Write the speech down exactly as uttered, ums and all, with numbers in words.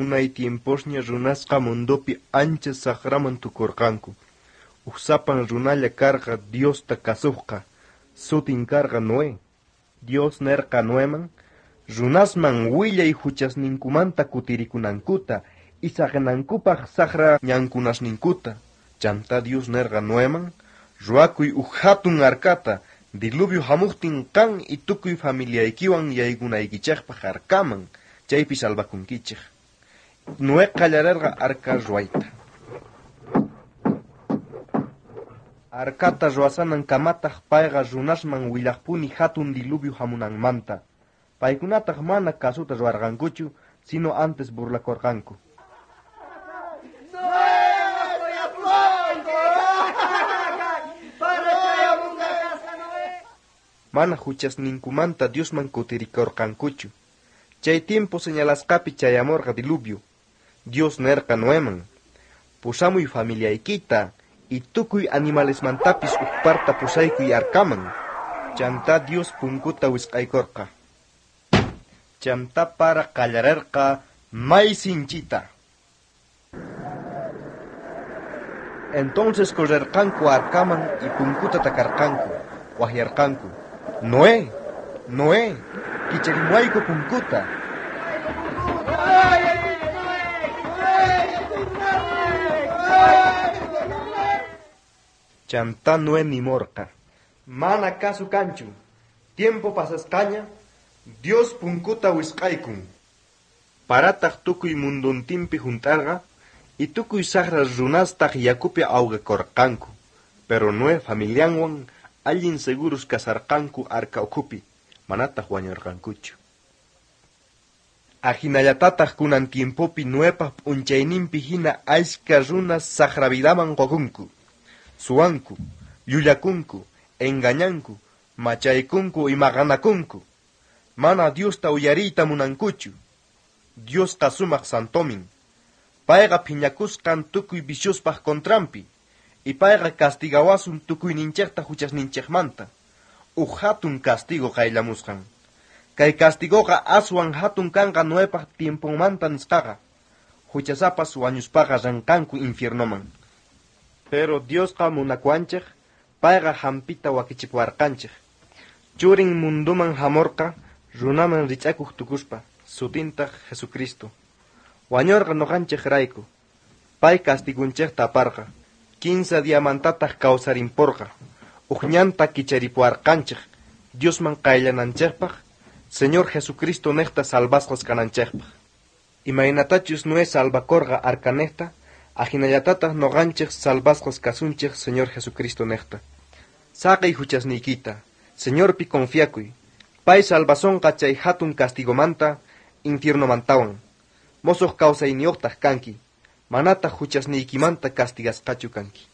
Unay tiemposña runasqa mundopi ancha sajraman tukorqanku. Uj sapan runalla karqa Diosta kasojqa, sutin karqa Noé. Dios nerqa Noeman, runasman willay juchasninkumanta kutirikunankuta y saqenankupaj sajra ñankunasninkuta. Chantá Dios nerqa Noeman, ruwakuy uj jatun arcata, diluvio jamojtin qan y tukuy familiaykiwan yaykunaykichejpaj arcaman, chaypi salvakunkichej. Noé qallarerqa arca ruwayta. Arcata ruwasanan kamataj payqa runasman willajpuni jatun diluvio jamunanmanta. Paykunataj mana kasuta ruwarqankuchu, sino antes burlakorqanku. Mana juchasninkumanta Diosman kutirikorqankuchu. Chay tiempo señalasqapi chayamorqa diluvio. Dios nerqa Noeman, pusamuy familiaykita y tukuy animalesmantapis uj parta pusaykuy arcaman. Chantá Dios punkuta wisq'aykorqa. Chantá para qallarerqa may sinchita. Entonces correrqanku arcaman y punkuta takarqanku, wajyarqanku. Noé, Noé, kicharimuayku punkuta. Chantá Noé nimorqa. Mana kasu kanchu. Tiempo pasasqaña, Dios punkuta wisq'aykun. Parataj tukuy mundontinpi junt'arqa y tukuy sajra runastaj yakupi awqakorqanku. Pero Noé familianwan allin seguros kasarqanku arca ukhupi, manataj wañorqankuchu. Ajinallatataj kunan tiempopi Noepaj p'unchayninpi hina ashka runas sajra vidaman qokunku. Suwanku, llullakunku, engañanku, machaykunku y maqanakunku. Mana Diosta uyariyta munankuchu. Diosqa sumaj santomin. Payqa phiñakusqan tukuy viciospaj contranpi. Y payqa castigawasun tukuyninchejta juchasninchejmanta. Uj jatun castigo qayllamusqan. Kay castigoqa aswan jatun kanqa Noepaj tiemponmanta nisqaqa. Juchasapas wañuspaqa ranqanku infiernoman. Pero Diosqa munakuwanchej, payqa jampita wakichipuwarqanchej. Churin munduman jamorqa, runaman rich'akuj tukuspa, sutintaj Jesucristo. Wañorqa noqanchejrayku. Pay castigunchejta aparqa. Kinsa diamantataj kawsarimporqa. Uj ñanta kicharipuwarqanchej, Diosman qayllananchejpaj, Señor Jesucristo nejta salvasqas kananchejpaj. Imaynatachus Noé salvakorqa arcanejta, ajinallatataj noqanchej salvasqas kasunchej Señor Jesucristo nejta. Saqey juchasniykita, Señorpi confiakuy. Pay salvasonqa chay jatun castigomanta, infiernomantawan. Mosoj kawsayniyojtaj kanki, manataj juchasniykimanta castigasqachu kanki.